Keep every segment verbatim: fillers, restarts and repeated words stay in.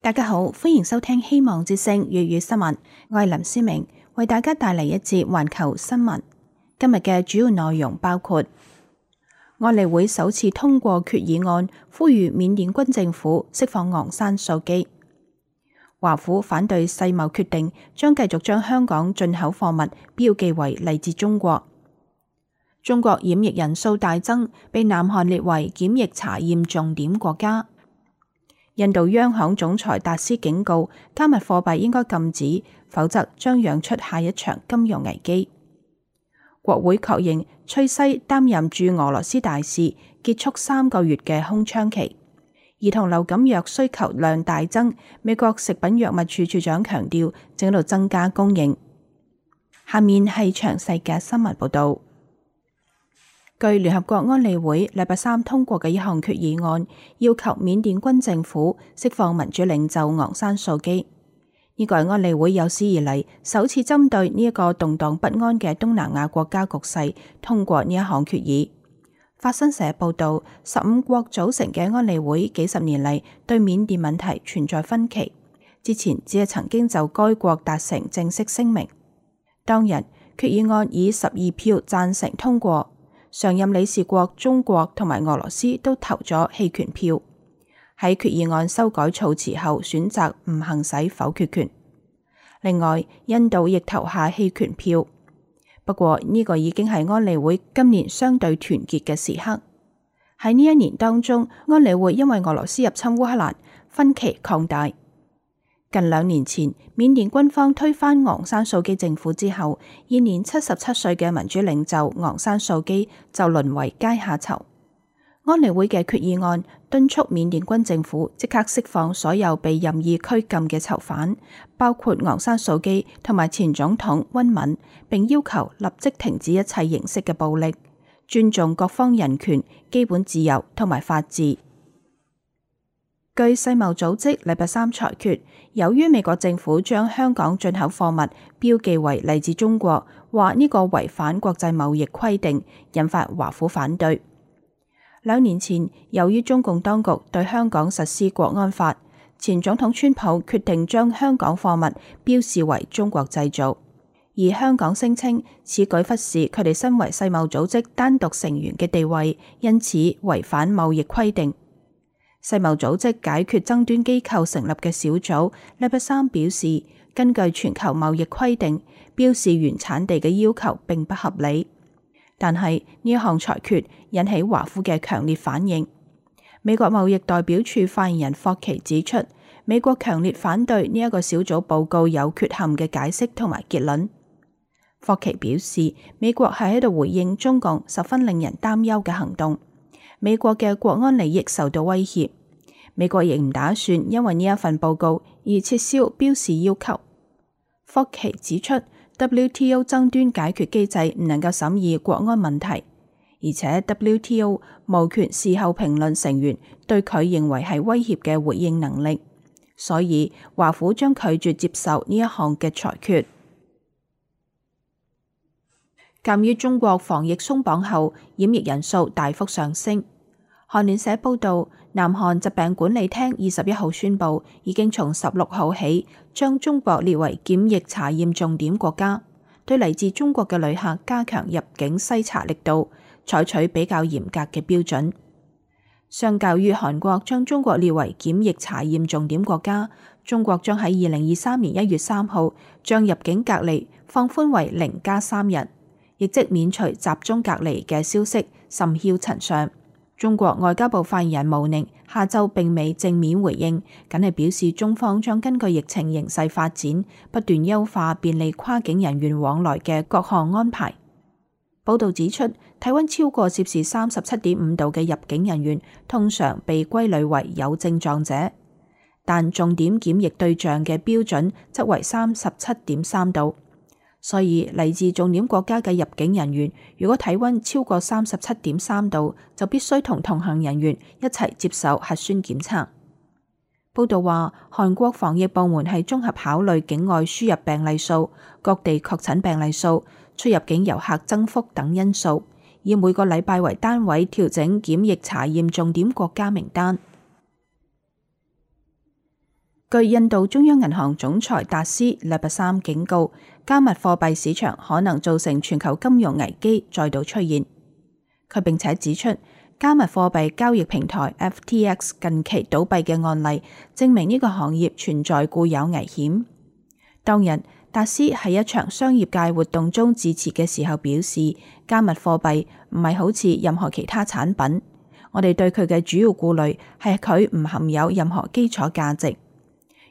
大家好，歡迎收聽希望之聲粵語新聞，我係林思明，為大家帶嚟一節環球新聞。今日嘅主要內容包括：安理會首次通過決議案，呼籲緬甸軍政府釋放昂山素姬；華府反對世貿決定，將繼續將香港進口貨物標記為嚟自中國；中國染疫人數大增，被南韓列為檢疫查驗重點國家。印度央行總裁達斯警告，加密貨幣應該禁止，否則將釀出下一場金融危機。國會確認崔西擔任駐俄羅斯大使，結束三個月嘅空窗期。兒童流感藥需求量大增，美國食品藥物處處長強調正喺度增加供應。下面係詳細嘅新聞報道。據聯合國安理會禮拜三通過嘅一項決議案，要求緬甸軍政府釋放民主領袖昂山素姬。呢個係安理會有史以嚟首次針對呢一個動盪不安嘅東南亞國家局勢通過呢一項決議。法新社報道，十五國組成嘅安理會幾十年嚟對緬甸問題存在分歧，之前只係曾經就該國達成正式聲明。當日決議案以十二票贊成通過。常任理事國中國同埋俄羅斯都投咗棄權票，喺決議案修改措辭後選擇唔行使否決權。另外，印度亦投下棄權票。不過呢個已經係安理會今年相對團結嘅時刻。喺呢一年當中，安理會因為俄羅斯入侵烏克蘭，分歧擴大。近兩年前，緬甸軍方推翻昂山素姬政府之後，現年七十七歲嘅民主領袖昂山素姬就淪為階下囚。安理會嘅決議案敦促緬甸軍政府即刻釋放所有被任意拘禁嘅囚犯，包括昂山素姬同埋前總統溫敏，並要求立即停止一切形式嘅暴力，尊重各方人權、基本自由同埋法治。據世貿組織禮拜三裁決，由於美國政府將香港進口貨物標記為嚟自中國，話呢個違反國際貿易規定，引發華府反對。兩年前，由於中共當局對香港實施國安法，前總統川普決定將香港貨物標示為中國製造，而香港聲稱此舉忽視佢哋身為世貿組織單獨成員嘅地位，因此違反貿易規定。世貿組織解決爭端機構成立嘅小組禮拜三表示，根據全球貿易規定，標示原產地嘅要求並不合理。但係呢一項裁決引起華府嘅強烈反應。美國貿易代表處發言人霍奇指出，美國強烈反對呢一個小組報告有缺陷嘅解釋同埋結論。霍奇表示，美國係喺度回應中共十分令人擔憂嘅行動。美國嘅國安利益受到威脅，美國亦唔打算因為呢一份報告而撤銷標示要求。霍奇指出 ，W T O 爭端解決機制唔能夠審議國安問題，而且 W T O 無權事後評論成員對佢認為係威脅嘅回應能力，所以華府將拒絕接受呢一項嘅裁決。鑒於中國防疫鬆綁後染疫人數大幅上升，韓聯社報道，南韓疾病管理廳二十一號宣布，已經從十六號起將中國列為檢疫查驗重點國家，對嚟自中國嘅旅客加強入境篩查力度，採取比較嚴格嘅標準。相較於韓國將中國列為檢疫查驗重點國家，中國將喺二零二三年一月三號將入境隔離放寬為零加三日。亦即免除集中隔離嘅消息甚囂塵上。中國外交部發言人毛寧下晝並未正面回應，僅係表示中方將根據疫情形勢發展，不斷優化便利跨境人員往來嘅各項安排。報導指出，體溫超過攝氏三十七點五度嘅入境人員通常被歸類為有症狀者，但重點檢疫對象嘅標準則為三十七點三度。所以嚟自重點國家嘅入境人員，如果體溫超過三十七點三度，就必須同同行人員一齊接受核酸檢測。報道話，韓國防疫部門係綜合考慮境外輸入病例數、各地確診病例數、出入境遊客增幅等因素，以每個禮拜為單位調整檢疫查驗重點國家名單。據印度中央銀行總裁達斯禮拜三警告，加密貨幣市場可能造成全球金融危機再度出現。佢並且指出，加密貨幣交易平台 F T X 近期倒閉嘅案例，證明呢個行業存在固有危險。當日，達斯喺一場商業界活動中致辭嘅時候表示，加密貨幣唔係好似任何其他產品，我哋對佢嘅主要顧慮係佢唔含有任何基礎價值。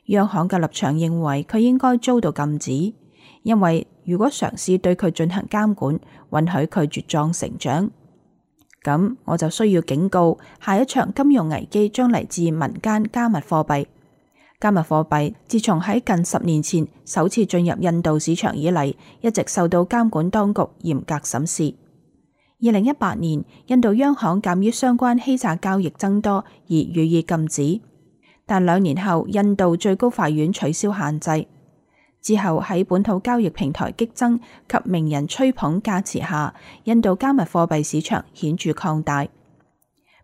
央行嘅立場認為佢應該遭到禁止，因為如果嘗試對佢進行監管，允許佢茁壯成長，咁我就需要警告，下一場金融危機將嚟自民間加密貨幣。加密貨幣自從喺近十年前首次進入印度市場以嚟，一直受到監管當局嚴格審視。二零一八年，印度央行鑑於相關欺詐交易增多而予以禁止。但兩年後，印度最高法院取消限制。之後喺本土交易平台激增及名人吹捧加持下，印度加密貨幣市場顯著擴大。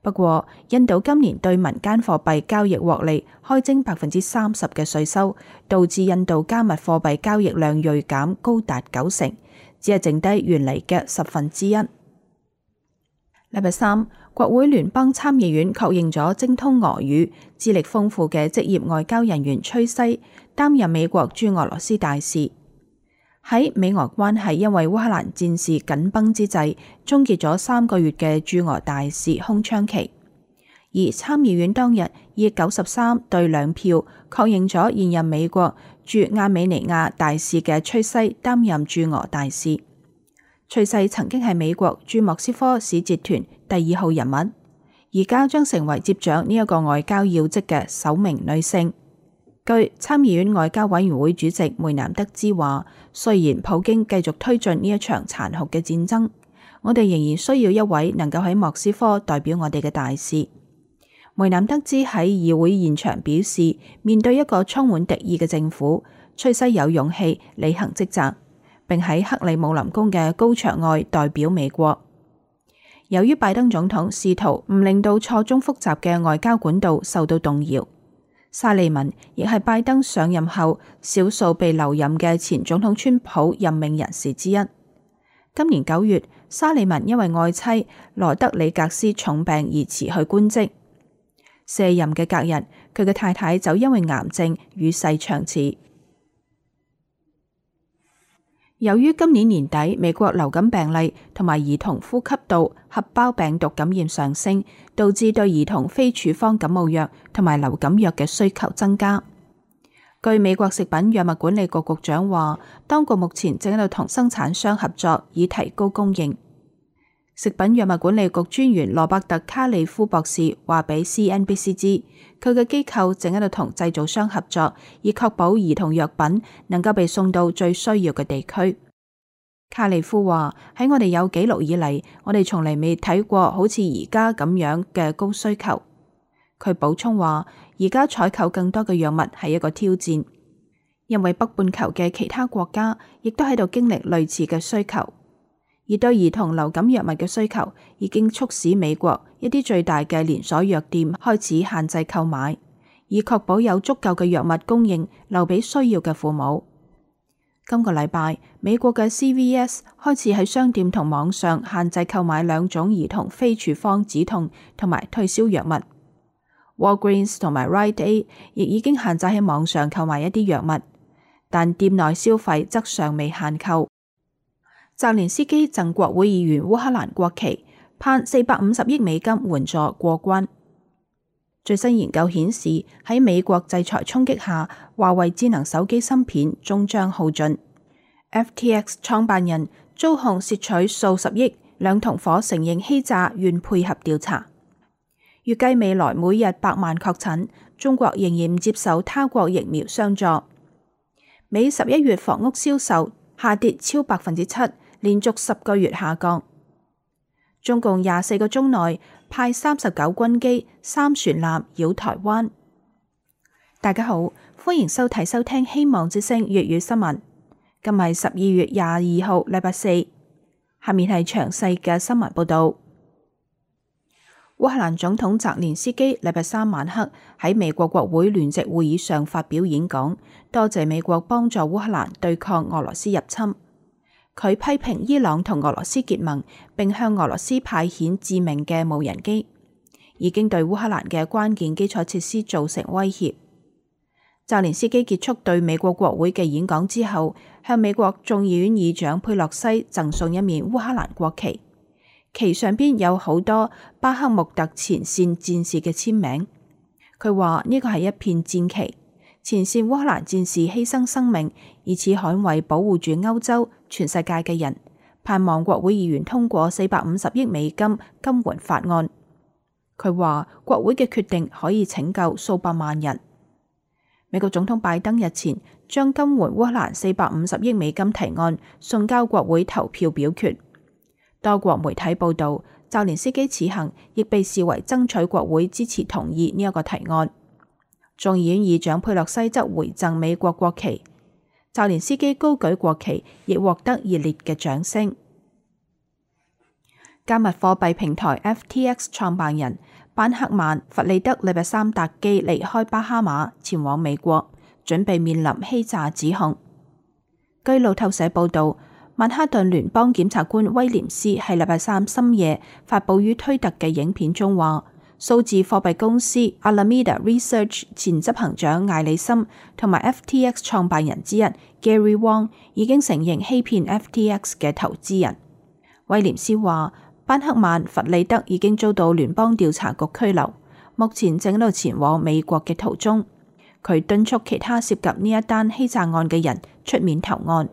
不過，印度今年對民間貨幣交易獲利開徵百分之三十嘅稅收，導致印度加密貨幣交易量銳減高達九成，只係剩低原嚟嘅十分之一。禮拜三，國會聯邦參議院確認咗精通俄語、資歷豐富嘅職業外交人員崔西擔任美國駐俄羅斯大使。喺美俄關係因為烏克蘭戰事緊繃之際，終結咗三個月嘅駐俄大使空窗期。而參議院當日以九十三對兩票確認咗現任美國駐亞美尼亞大使嘅崔西擔任駐俄大使。崔西曾經係美國駐莫斯科使節團第二號人物，而家將成為接掌呢一個外交要職嘅首名女性。據參議院外交委員會主席梅南德茲話，雖然普京繼續推進呢一場殘酷嘅戰爭，我哋仍然需要一位能夠喺莫斯科代表我哋嘅大使。梅南德茲喺議會現場表示，面對一個充滿敵意嘅政府，崔西有勇氣履行職責，並喺克里姆林宮嘅高牆外代表美國。由於拜登總統試圖唔令到錯綜複雜嘅外交管道受到動搖，沙利文亦係拜登上任後少數被留任嘅前總統川普任命人士之一。今年九月，沙利文因為愛妻羅德里格斯重病而辭去官職。卸任嘅隔日，佢嘅太太就因為癌症與世長辭。由於今年年底美國流感病例同埋兒童呼吸道合胞病毒感染上升，導致對兒童非處方感冒藥同埋流感藥嘅需求增加。據美國食品藥物管理局局長話，當局目前正喺度同生產商合作，以提高供應。食品藥物管理局專員羅伯特卡利夫博士話俾 C N B C 知，佢嘅機構正喺度同製造商合作，以確保兒童藥品能夠被送到最需要嘅地區。卡利夫話，喺我哋有紀錄以嚟，我哋從嚟未睇過好似而家咁樣嘅高需求。佢補充話，而家採購更多嘅藥物係一個挑戰，因為北半球嘅其他國家亦都喺度經歷類似嘅需求。而對兒童流感藥物嘅需求已經促使美國一啲最大嘅連鎖藥店開始限制購買，以確保有足夠嘅藥物供應留俾需要嘅父母。今個禮拜，美國嘅 C V S 開始喺商店同網上限制購買兩種兒童非處方止痛同埋退燒藥物。Walgreens 同埋 Rite Aid 亦已經限制喺網上購買一啲藥物，但店內消費則尚未限購。澤連斯基贈國會議員烏克蘭國旗，盼四百五十億美金援助過關。最新研究顯示，喺美國制裁衝擊下，華為智能手機芯片終將耗盡。F T X 創辦人遭控竊取數十億，兩同伙承認欺詐，願配合調查。預計未來每日百萬確診，中國仍然唔接受他國疫苗相助。美十一月房屋銷售下跌超百分之七。連續十個月下降。中共廿四個鐘內派三十九軍機、三船艦繞台灣。大家好，歡迎收睇收聽希望之聲粵語新聞。今日十二月廿二號，禮拜四。下面係詳細嘅新聞報道。烏烏克蘭總統澤連斯基禮拜三晚黑喺美國國會聯席會議上發表演講，多謝美國幫助烏克蘭對抗俄羅斯入侵。佢批評伊朗同俄羅斯結盟，並向俄羅斯派遣致命嘅無人機，已經對烏克蘭嘅關鍵基礎設施造成威脅。澤連斯基結束對美國國會嘅演講之後，向美國眾議院議長佩洛西贈送一面烏克蘭國旗。旗上邊有好多巴克穆特前線戰士嘅簽名。佢話呢個係一片戰旗，前線烏克蘭戰士犧牲生命，以此捍衛保護住歐洲、全世界嘅人。盼望國會議員通過四百五十億美金金援法案。佢話國會嘅決定可以拯救數百萬人。美國總統拜登日前將金援烏克蘭四百五十億美金提案送交國會投票表決。多國媒體報道，澤連斯基此行亦被視為爭取國會支持同意呢一個提案。眾議院議長佩洛西則回贈美國國旗，澤連斯基高舉國旗亦獲得熱烈嘅掌聲。加密貨幣平台 F T X 創辦人班克曼弗利德禮拜三搭機離開巴哈馬前往美國，準備面臨欺詐指控。據路透社報道，曼哈頓聯邦檢察官威廉斯喺禮拜三深夜發佈於推特嘅影片中話，數字貨幣公司 Alameda Research 前執行長艾里森同埋 F T X 創辦人之一 Gary Wang 已經承認欺騙 F T X 嘅投資人。威廉斯話，班克曼弗利德已經遭到聯邦調查局拘留，目前正喺度前往美國嘅途中。佢敦促其他涉及呢一單欺詐案嘅人出面投案。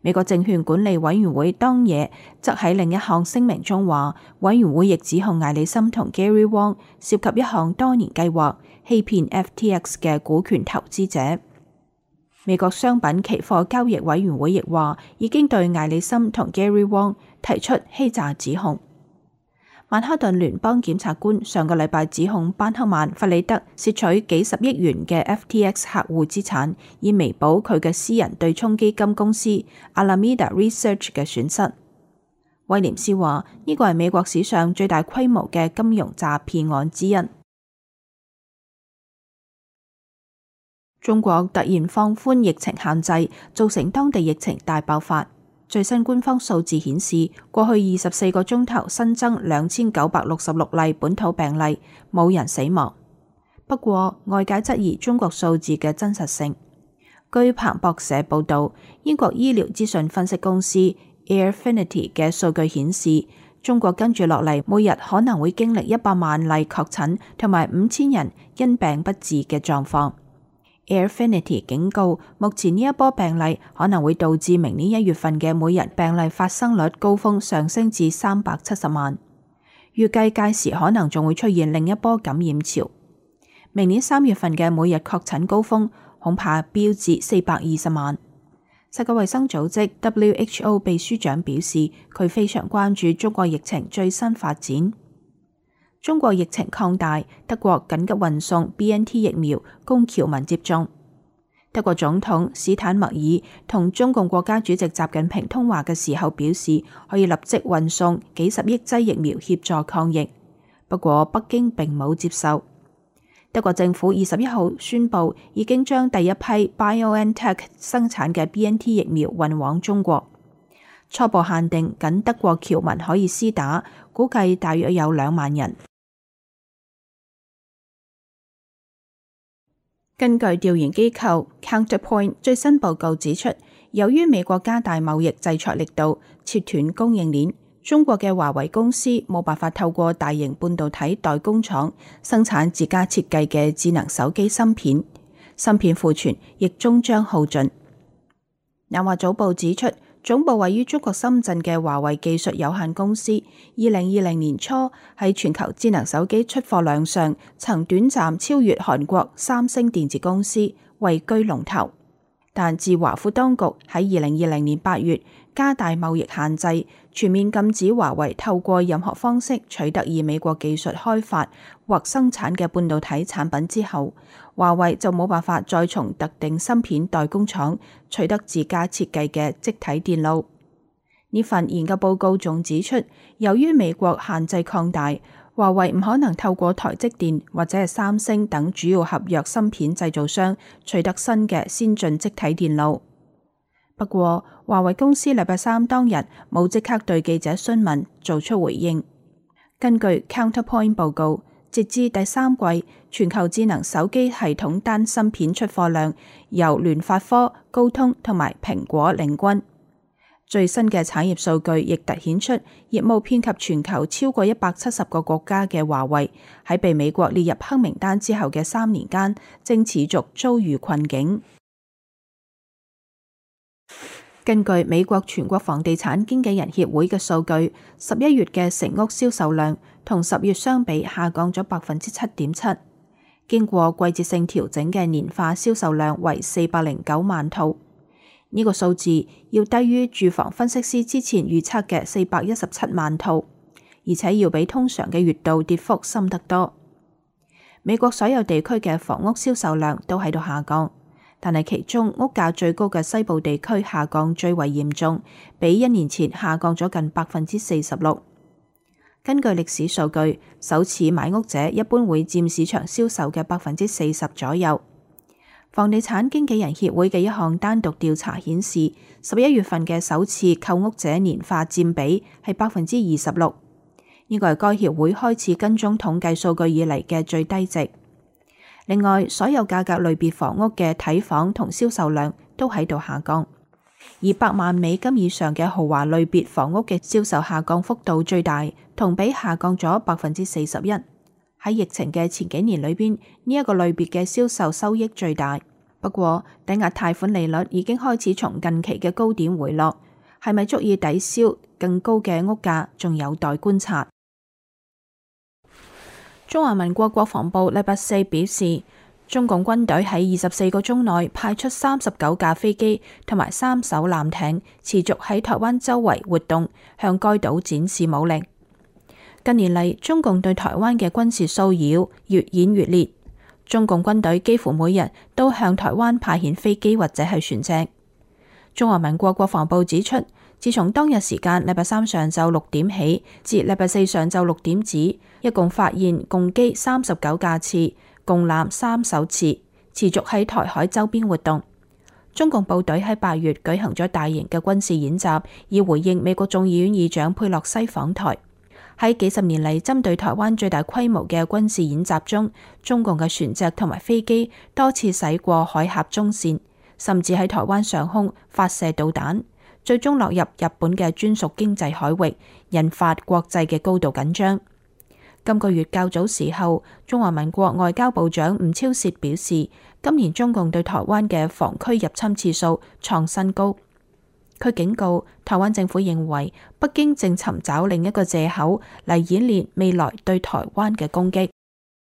美國證券管理委員會當夜則喺另一項聲明中話，委員會亦指控艾里森同 Gary Wang 涉及一項多年計劃，欺騙 F T X 嘅股權投資者。美國商品期貨交易委員會亦話，已經對艾里森同 Gary Wang 提出欺詐指控。曼哈頓聯邦檢察官上個禮拜指控班克曼弗里德竊取幾十億元嘅 F T X 客戶資產，以彌補佢嘅私人對沖基金公司 Alameda Research 嘅損失。威廉斯話呢個係美國史上最大規模嘅金融詐騙案之一。中國突然放寬疫情限制，造成當地疫情大爆發。最新官方數字顯示，過去二十四個鐘頭新增兩千九百六十六例本土病例，冇人死亡。不過，外界質疑中國數字嘅真實性。據彭博社報導，英國醫療資訊分析公司 Airfinity 嘅數據顯示，中國跟住落嚟每日可能會經歷一百萬例確診同埋五千人因病不治嘅狀況。Airfinity 警告，目前呢一波病例可能會導致明年一月份嘅每日病例發生率高峰上升至三百七十萬，預計屆時可能仲會出現另一波感染潮。明年三月份嘅每日確診高峰恐怕飆至四百二十萬。世界衛生組織 W H O 秘書長表示，佢非常關注中國疫情最新發展。中國疫情擴大，德國緊急運送 B N T 疫苗供僑民接種。德國總統史坦默爾同中共國家主席習近平通話嘅時候表示，可以立即運送幾十億劑疫苗協助抗疫。不過北京並冇接受。德國政府二十一號宣布，已經將第一批 BioNTech 生產嘅 B N T 疫苗運往中國，初步限定僅德國僑民可以施打，估計大約有兩萬人。根據調研機構 Counterpoint 最新報告指出，由於美國加大貿易制裁力度，切斷供應鏈，中國嘅華為公司冇辦法透過大型半導體代工廠生產自家設計嘅智能手機芯片，芯片庫存亦終將耗盡。南華早報指出，總部位於中國深圳嘅華為技術有限公司，二零二零年初喺全球智能手機出貨量上，曾短暫超越韓國三星電子公司，位居龍頭。但自華府當局喺二零二零年八月加大貿易限制，全面禁止華為透過任何方式取得以美國技術開發或生產嘅半導體產品之後，華為就冇辦法再從特定芯片代工廠取得自家設計嘅積體電路。呢份研究報告仲指出，由於美國限制擴大，華為唔可能透過台積電或者係三星等主要合約芯片製造商取得新嘅先進積體電路。不過，華為公司禮拜三當日冇即刻對記者詢問做出回應。根據 Counterpoint 報告，截至第三季，全球智能手機系統單芯片出貨量由聯發科、高通同埋蘋果領軍。最新嘅產業數據亦凸顯出，業務遍及全球超過一百七十個國家嘅華為，喺被美國列入黑名單之後嘅三年間，正持續遭遇困境。根據美國全國房地產經紀人協會嘅數據，十一月嘅成屋銷售量同十月相比下降咗百分之七點七。經過季節性調整嘅年化銷售量為四百零九萬套。呢個數字要低於住房分析師之前預測嘅四百一十七萬套，而且要比通常嘅月度跌幅深得多。美國所有地區嘅房屋銷售量都喺度下降，但係其中屋價最高嘅西部地區下降最為嚴重，比一年前下降咗近百分之四十六。根據歷史數據，首次買屋者一般會佔市場銷售嘅百分之四十左右。房地產經紀人協會嘅一項單獨調查顯示，十一月份嘅首次購屋者年化佔比係百分之二十六，呢個係該協會開始跟蹤統計數據以嚟嘅最低值。另外，所有價格類別房屋嘅睇房同銷售量都喺度下降，而百萬美金以上嘅豪華類別房屋嘅銷售下降幅度最大，同比下降咗百分之四十一。喺疫情嘅前幾年裏邊，呢一個類別嘅銷售收益最大。不過，抵押貸款利率已經開始從近期嘅高點回落，係咪足以抵消更高嘅屋價，仲有待觀察。中華民國國防部禮拜四表示，中共軍隊喺二十四個鐘內派出三十九架飛機同埋三艘艦艇，持續喺台灣周圍活動，向該島展示武力。近年嚟，中共對台灣嘅軍事騷擾越演越烈，中共軍隊幾乎每日都向台灣派遣飛機或者係船隻。中華民國國防部指出，自從當日時間禮拜三上晝六點起至禮拜四上晝六點止，一共發現共機三十九架次，共艦三艘次，持續喺台海周邊活動。中共部隊喺八月舉行咗大型嘅軍事演習，以回應美國眾議院議長佩洛西訪台。喺幾十年嚟針對台灣最大規模嘅軍事演習中，中共嘅船隻同埋飛機多次駛過海峽中線，甚至喺台灣上空發射導彈，最終落入日本嘅專屬經濟海域，引發國際嘅高度緊張。今個月較早時候，中華民國外交部長吳釗燮表示，今年中共對台灣嘅防區入侵次數創新高。佢警告台灣政府認為北京正尋找另一個借口嚟演練未來對台灣嘅攻擊。